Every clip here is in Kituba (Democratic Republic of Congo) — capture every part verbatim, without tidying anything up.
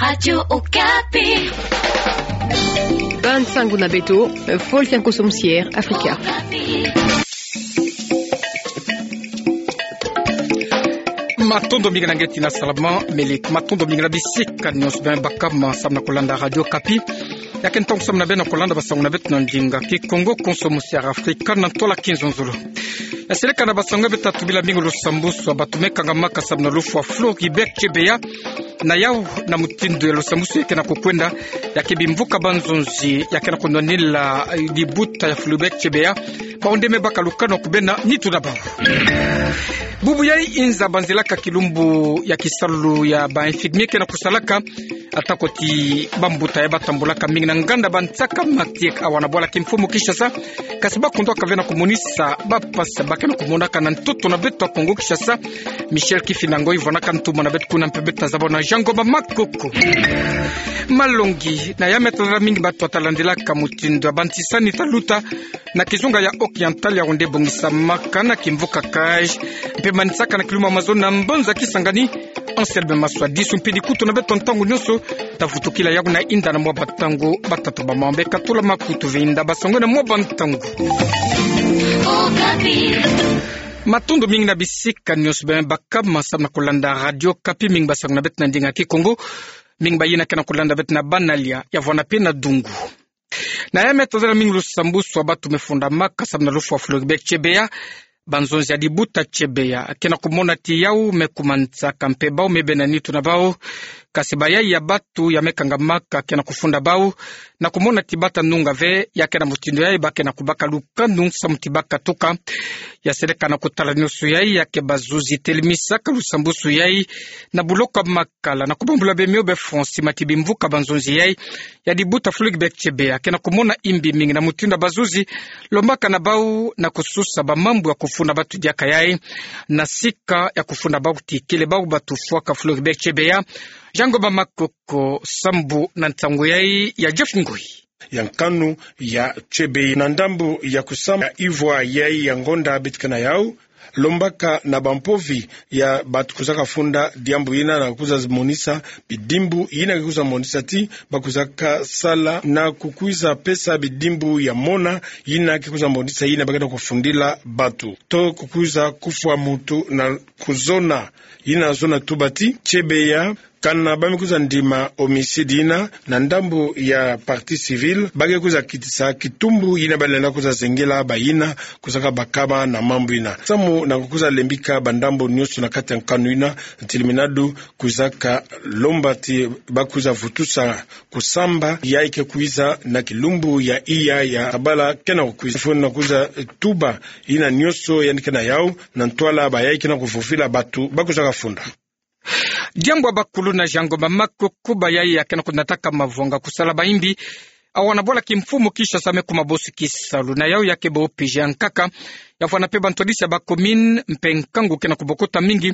Radio Okapi. Bande sango na beto, Folklore Konso Musiere Afrika. Matondo mingi na nge tina salama, mele matondo mingi na bisika nyonso beno baka ma samu na kolanda Radio Okapi. Ya ke ntangu samu na beno na kolanda basango na beto na ndinga Kikongo, Konso Musiere Afrika, na ntwala kizonzolo. Ya seleka na basango beto ta tubila mingi lusambwasu ya bato me kangamaka samu na lufwa Floribert Chebeya. Na yau na mutindu ya lusambwasu ya ke na kukwenda, ya ke bimvuka ba nzonzi ya ke na kunwanila, eh, libuta ya Floribert Chebeya, bawu nde me baka lukanu ya kubena nitu na bawu. Bubu yai inza banzilaka kilumbu ya kisalu ya ba infirmier ke na kusalaka, atako ti bambuta ya batambulaka mingi na nganda bansaka matiek awa na bwala kimfumu Kinshasa, kasi bakundwaka ve na kumonisa bampasi ba ke na kumonaka na ntoto na beto ya Kongo Kinshasa. Michel Kifinda Ngoi vwanaka ntuma na beto kuna mpe beto ta zaba na Jean Ngoma Makoko. Malongi, na ya me ta zaba mingi bato ta landilaka mutindu ya bantisani ta luta na kizunga ya Oriental, yawu nde bongisamaka na kimvuka Cayes, mpe manisaka na kilumbu ya mazono na mbanza Kisangani. Anselme Maswadi sumpidi kutu na beto ntangu nyonso, ta vutukila yawu na inda na mwa bantangu batatu ba mambu. Katula makutu, vwenda basango na mwa bantangu. Matondo mingi na bisika nyonso beno baka ma samu na kolanda Radio Okapi, mingi basango na beto na ndinga Kikongo, mingi bayina ke na kolanda beto na Banalia, ya vwanda mpe na Dungu. Na ya me ta zaba mingi lusambwasu ya bato me fundamaka samu na lufwa Floribert Chebeya. Ba nzonzi ya libuta Chebeya ke na kumona ti yawu me kumanisaka mpe bawu me bena nitu na bawu. Kasi bayai ya bato ya me kangamaka ke na kufunda bawu na kumona ti bata nunga ve ya ke na mutindu yai ba ke na kubaka lukanu samu ti bakatuka. Ya seleka na kutala nyonso yai, ya ke bazuzi telemisaka lusambwasu yai na boloko ya makala na kubambula be mio be fonsi mati bimvuka ba nzonzi yai ya libuta Floribert Chebeya ke na kumona imbi mingi na mutindu ya bazuzi lombaka na bawu na kususa ba mambu ya kufunda bato diaka yai. Na sika ya kufunda bawu ti kele bawu bato fwaka Floribert Chebeya, Jean Ngoma Makoko sambu na ntangu yai ya Jeff Ngoi. Ya nkanu ya Chebeya na ndambu ya kusamba ya ivwa yai ya ngonda beto ke na yawu, lombaka na bampovi ya bato kuzaka funda diambu yina na kukuza monisa bidimbu yina ke kukuza monisa ti ba kuzaka sala na kukuza pesa bidimbu ya mona yina ke kukuza monisa yina ba ke na kufundila bato to kukuza kufwa mutu na kuzona. Yina zona tuba ti Chebeya, kana ba me kuza ndima homicide yina na ndambu ya partie civile, ba ke kuza kitisa kitumbu yina ba lenda kuza zengela bayina kuzaka bakama na mambu yina. Samu na kukuza lembika bandambu nyonso na kati ya nkanu yina, ntiliminadu kuzaka lomba ti ba kuza vutusa kusamba yai ke kwiza na kilumbu ya iya ya tabala ke na kukwiza. Funu na kuza tuba yina nyonso yandi ke na yawu na ntwala bayai ke na kuvovila bato ba kuzaka funda. Diambu ya bakuluna, Jean Ngoma Makoko, bayai ya ke na kunataka mavwanga kusala ba imbi awa na bwala kimfumu Kinshasa me kuma bosi kisalu. Na yawu ya ke ba OPG ya nkaka, ya vwanda mpe bantwadisi ya ba commune mpe nkangu ke na kubokota mingi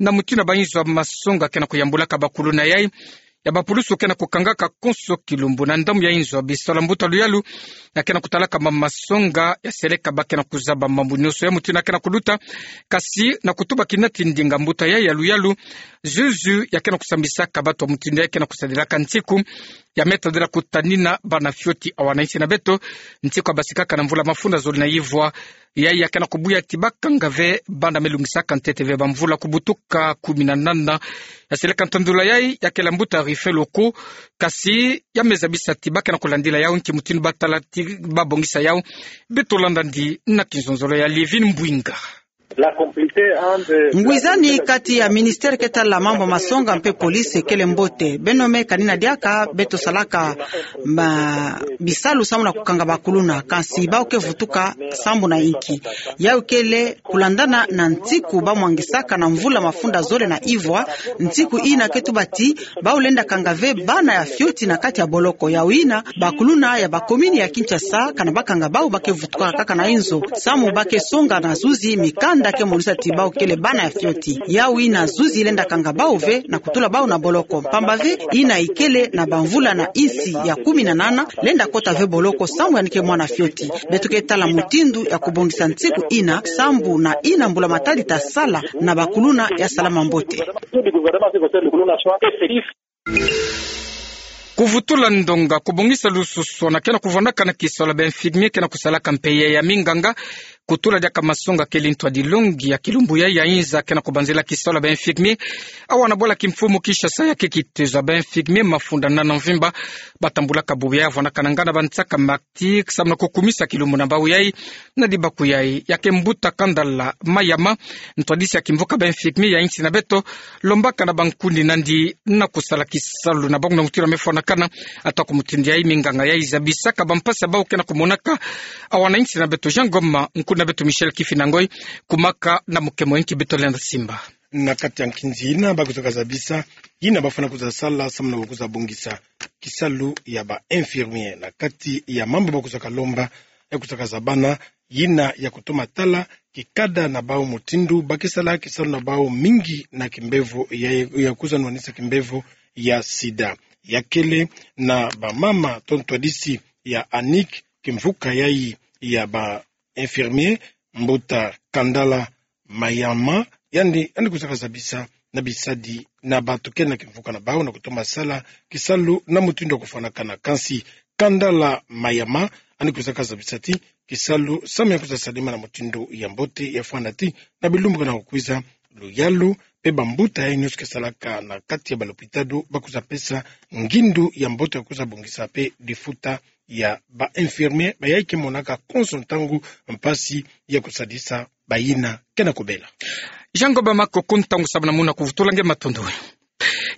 na mutindu ya ba inzo ya masonga ke na kuyambulaka bakuluna yai. Ya bapulusu ke na kukangaka konso kilumbu na ndambu ya inzo ya bisalu ya mbuta luyalu, ya ke na kutalaka ma masonga, ya seleka ba ke na kuzaba mambu nyonso ya mutindu ya ke na kuluta. Kasi na kutuba kina ti ndinga mbuta yai ya luyalu, zuzu ya ke na kusambisaka bato ya mutindu yai ke na kusadilaka nsiku ya me tadila kutanina bana fioti awa na insi na beto, nsiku ya basikaka na mvula mafunda zole na ivwa. Yai ya ke na kubuya ti bakanga ve bana me lungisaka ntete ve bamvula kubutuka kumi na nana. Ya seleka ntandula yai ya kele mbuta Rifelo ko, kasi ya me zabisa ti ba ke na kulandila yawu nki mutindu ba tala ti ba bongisa yawu. Beto landa ndi na kinzonzolo ya Livine Mbwinga. Ngwizani kati ya ministère ke tala mambu masonga mpe police kele mbote. Beno me kanina diaka beto salaka ma bisalu samu na kukanga bakuluna, kansi bawu ke vutuka sambu na inki? Yawu kele kulandana na nsiku ba mwangisaka na mvula mafunda zole na ivwa, nsiku yina ke tuba ti bawu lenda kanga ve bana ya fioti na kati ya boloko. Yawu yina bakuluna ya ba commune ya Kinshasa, kana bakanga bawu, ba ke vutuka kaka na inzo samu ba ke songa na zuzi mikanda ke monisa ti bawu kele bana ya fioti. Yawu yina zuzi lenda kanga bawu ve na kutula bawu na boloko, mpamba ve yina ikele na bamvula na insi ya kumi na nana, lenda kota ve boloko samu yandi ke mwana fioti. Beto ke tala mutindu ya kubongisa nsiku yina, sambu na yina mbula matadi ta sala na bakuluna ya salama mbote. Kuvutula ndonga, kubongisa lususu, na kena kuvwanakana kisola ba infirmier kena kusalaka mpe ya minganga, kutula diaka masonga kele ntwadilongi ya kilumbu ya, ya inza kena kubanzila kisola ba infirmier. Awa na bwala kimfumu Kinshasa ya ke kitezo ya ba infirmier mafunda nana mvimba, batambulaka bubu ya vwanakana ngana bansaka ma ti, samu na kukumisa kilumbu na bau yayi, na dibaku yayi, ya ke mbuta Kandala Mayama, ntwadisi ya kimvuka ba infirmier ya insi na beto, lombaka na bankundi nandi na kusala kisalu na bangu na mutira mefwanakana, ata ku mutindu yayi minganga yayi zabisaka bampasi ya bau kena kumonaka, awa na insi na beto Jean Ngoma, nkundi na beto Michel Kifinda Ngoi, kumaka na mukemo inki beto lenda simba. Na kati ya nkinzi yina bakwizaka zabisa, yina bafwana kwiza sala, samu na kwiza bongisa kisalu ya ba infirmier. Na kati ya mambu bakwizaka lomba, ya kwizaka zabana, yina ya kutoma tala kikada na bau mutindu ba ke sala kisalu na bau mingi na kimbevo ya, ya kwiza nwanisa kimbevo ya sida. Ya kele na bamama to ntwadisi ya ANIC, kimvuka yayi ya ba infirmier, mbuta Kandala Mayama, yandi, yandi kwizaka zabisa na bisadi na bantu kele na kimvuka na bau na kutoma sala kisalu na mutindu ya kufwanakana. Kansi Kandala Mayama, yandi kwizaka zabisa ti kisalu samu ya kwiza salama na mutindu ya mbote, ya fwana ti na bilumbu kena kukwiza, luyalu mpe bambuta yayi nyonso ke salaka na kati ya balopitalo bakwiza pesa ngindu ya mbote ya kwiza bongisa mpe lifuta ya ba infirmier, bayayi ke monaka konso ntangu mpasi ya kusadisa bayina kena kubela. Jean Ngoma, makuku, ntangu samu na muna kuvutula nge, matondo.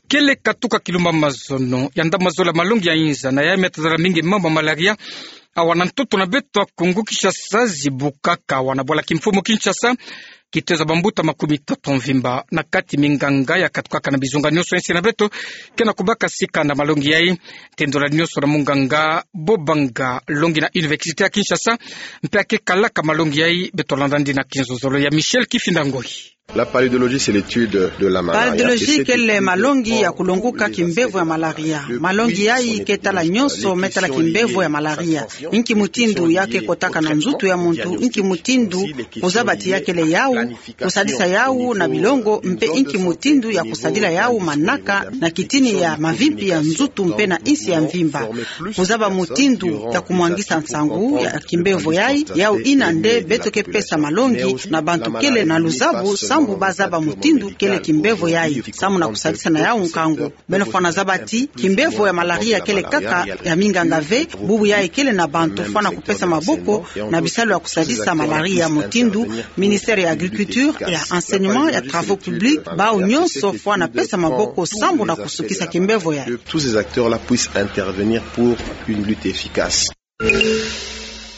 Kele katuka kilumbu ya mazono, ya ndambu mazola malongi ya inza, na yayi me tazala mingi mambu ya malaria, awa na ntoto na beto ya Kongo Kinshasa zibukaka, awa na bwala kimfumu Kinshasa, kitezo ya bambuta makumi tatu mvimba, na kati minganga ya katukaka na bizunga nyonso insi na beto, kena kubaka sika na malongi yayi, tendula nyonso na munganga, bobanga longi na Université ya Kinshasa, mpe ya ke kalaka malongi yayi, beto landa nandi na kinzozolo ya Michel Kifinda Ngoi. La palédiologie, c'est l'étude de la malaria. Palédiologie kele malongi ya kulonguka kimbevo ya malaria. Malongi yayi ke tala nyonso me tala kimbevo ya malaria. Inki mutindu ya ke kotaka na nzutu ya muntu, inki mutindu kuzaba ti ya kele yawu, kusadisa yawu na bilongo, mpe inki mutindu ya kusadila yawu manaka na kitini ya mavimpi ya nzutu mpe na insi ya mvimba. Kuzaba mutindu ya kumwangisa nsangu ya kimbevo yayi, yawu yina nde beto ke pesa malongi na bantu kele na luzabu, sambu bazaba mutindu kele kimbevo yayi, samu na kusadisa na yawu nkangu. Beno fwana zaba ti kimbevo ya malaria kele kaka ya minganga ve, bubu yayi kele na bantu fwana kupesa maboko na bisalu ya kusadisa malaria, mutindu Ministère ya Agriculture, ya Enseignement, ya Travaux Publics, bawu nyonso fwana pesa maboko sambu na kusukisa kimbevo yayi. Que tous ces acteurs-là puissent intervenir pour une lutte efficace.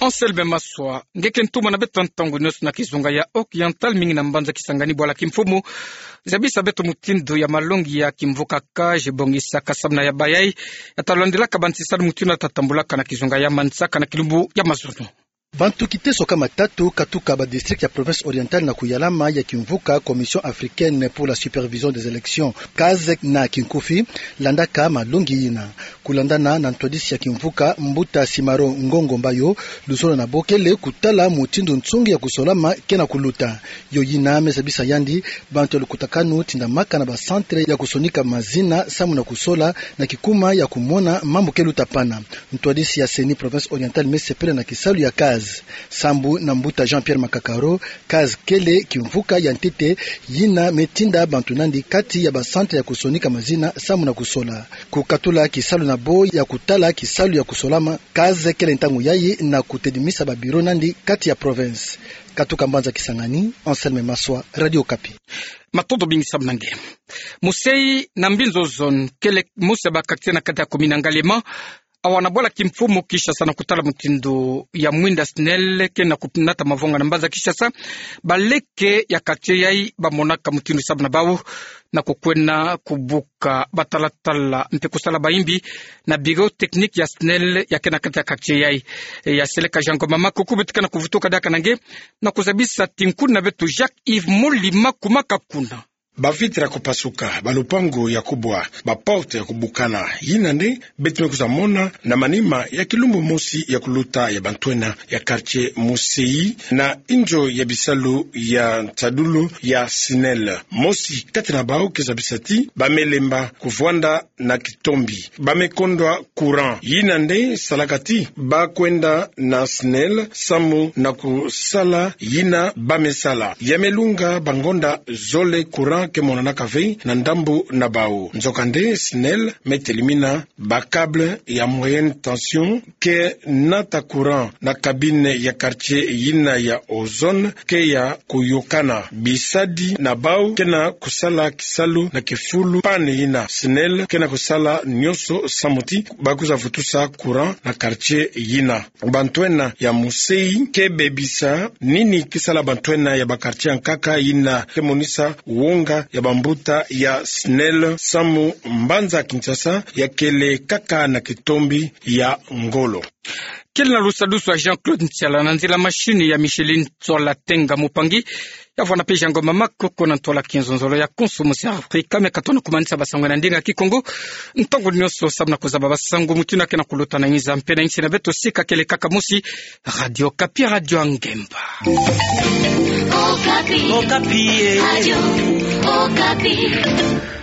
Anselme Maswa, nge ke ntumwa na beto ntangu nyonso na kizunga ya Oriental, mingi na mbanza Kisangani, bwala kimfumu, zabisa beto mutindu ya malongi ya kimvuka CAGES bongisaka samu na ya bayayi, ya ta landilaka bansisalu, mutindu ya ta tambulaka na kizunga ya Mansaka na kilumbu ya mazono. Bantu kiteso kama tatu katuka ba district ya province orientale na kuyalama ya kimvuka Commission africaine pour la supervision des élections, CAGES na kinkufi, landaka malongi yina. Kulandana na ntwadisi ya kimvuka, mbuta Simaro Ngongo Mbayo, luzolo na bo kele kutala mutindu nsongi ya kusolama kena kuluta. Yo yina me zabisa yandi bantu ya lukutakanu tindamaka na ba centre ya kusonika mazina samu na kusola na kikuma ya kumona mambu ke luta pana. Ntwadisi ya CENI province orientale me sepela na kisalu ya CAGES. Sambu na mbuta Jean-Pierre Makakaro, CAGES kele kimvuka ya ntete yina me tinda bantu nandi kati ya ba centre ya kusonika mazina samu na kusola. Kukatula kisalu na bo ya kutala kisalu ya kusolama, CAGES kele ntangu yayi na kutedimisa ba bureau nandi kati ya province. Katuka mbanza Kisangani, Anselme Maswa, Radio Okapi. Matondo mingi samu na nge. Musayi na Mbinzo zone, kele mose ba quartier na kati ya commune ya Ngaliema, awa na bwala kimfumu Kinshasa, na kutala mutindu ya mwinda SNEL kena kunata mavonga na mbanza Kinshasa, baleke ya quartier yayi bamonaka mutindu samu na bawu na kukwena kubuka batalatala mpe kusala bayimbi na bureau technique ya SNEL ya kena kati ya quartier yayi. Ya seleka Jean Ngoma Makuku, beto kena kuvutuka diaka na nge na kuzabisa ti nkundi na beto Jacques Yves Molima, kuma kakuna. ba vitre ya kupasuka, ba lupangu ya kubwa, ba porte ya kubukana. Yina nde beto me kwiza mona na manima ya kilumbu mosi ya kuluta ya bantwenia ya quartier Museyi na inzo ya bisalu ya ntadulu ya SNEL. Mosi kati na bawu ke zabisa ti ba me lemba kuvwanda na kitombi. Ba me kondwa courant. Yina nde salaka ti ba kwenda na SNEL samu na kusala yina ba me sala. Ya me lunga bangonda zole courant ke monanaka ve na ndambu na bawu. Nzokande SNEL me telimina ba câble ya moyenne tension ke nata courant na cabine ya quartier yina ya Ozone ke ya kuyokana. Bisadi na bawu ke na kusala kisalu na kifulu panne yina. SNEL ke na kusala nionso samu ti ba kwiza vutusa courant na quartier yina. Bantwenia ya Museyi ke bebisa nini ke sala bantwenia ya ba quartier yankaka yina ke monisa wonga ya bambuta ya SNEL samu mbanza Kinshasa ya kele kaka na kitombi ya ngolo. Kele na lusadusu ya Jean-Claude Ntiala, na nzila machine ya Micheline Tsola Tenga Mupangi, ya vwanda pe Jean Ngoma Makoko na ntwala kenzonzolo ya konso mosi Afrika, me ka tona kumanisa ba sango na ndinga Kikongo. Ntangu nionso samu na kuzaba ba sango mutindu ke na kuluta na nza mpe na nsi na beto, sika kele kaka mosi, Radio Okapi, Radio ya Ngemba. Okapi. Okapi, eh. Radio Okapi.